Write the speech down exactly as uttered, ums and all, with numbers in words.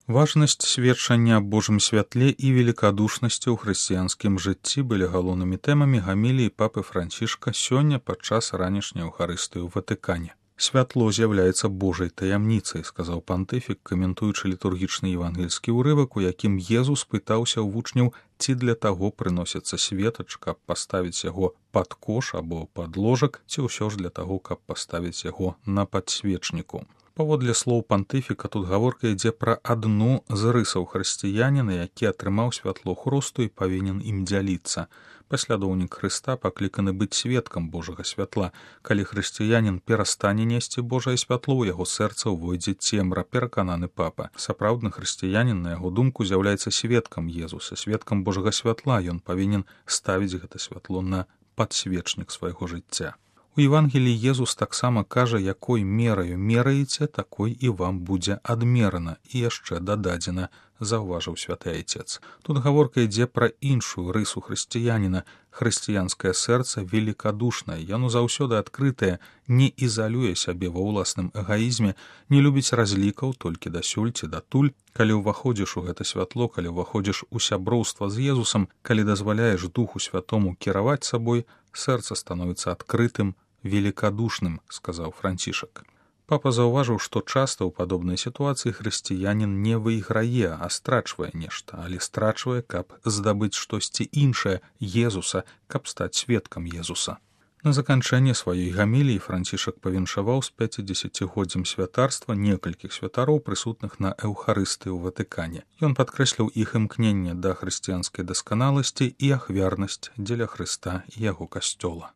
Важнасць сведчання аб Божым святле і велікадушнасці ў хрысціянскім жыцці былі галоўнымі тэмамі гаміліі папы Францішка сёння падчас ранішняй Еўхарыстыі ў Ватыкане. «Святло з'яўляецца Божай таямніцай», — сказаў пантыфік, каментуючы літургічны евангельскі ўрывак, у якім Езус пытаўся ў вучняў, ці для таго прыносіцца светач, каб паставіць яго пад кош або пад ложак, ці ўсё ж для таго, каб паставіць яго на падсвечніку. Паводле слоў пантыфіка тут гаворка ідзе пра адну з рысаў хрысціяніна, які атрымаў святло Хросту і павінен ім дзяліцца. Паслядоўнік Хрыста пакліканы быць сведкам Божага святла. Калі хрысціянін перастане несці Божае святло, у яго сэрца ўвойдзе цемра, перакананы папа. Сапраўдны хрысціянін, на яго думку, з'яўляецца сведкам Езуса, сведкам Божага святла. Ён павінен ставіць гэта святло на падсвечнік свайго жыцця. У Евангеліі Езус таксама кажа, якой мераю мераеце, такой і вам будзе адмерана, і яшчэ дададзена, заўважыў святы айцец. Тут гаворка ідзе пра іншую рысу хрысціяніна. Хрысціянскае сэрца велікадушнае, яно заўсёды адкрытае, не ізалюе сябе ва ўласным эгаізме, не любіць разлікаў толькі дасюль ці датуль. Калі ўваходзіш у гэта святло, калі ўваходзіш у сяброўства з Езусам, калі дазваляеш Духу Святому кіраваць сабой, сэрца становіцца адкрытым, великодушным, сказаў Францішак. Папа заўважыў, што часта ў падобнай сітуацыі хрысціянін не выйграе, а страчвае нешта, але страчвае, каб здабыць штосьці іншае, Езуса, каб стаць сведкам Езуса. На заканчэнне сваёй гаміліі Францішак павіншаваў з пяцідзесяцігоддзям святарства некалькіх святароў, прысутных на Эўхарыстыі ў Ватыкане. Ён падкрэсліў іх імкненне да хрысціянскай дасканаласці і ахвярнасць дзеля Хрыста і яго касцёла.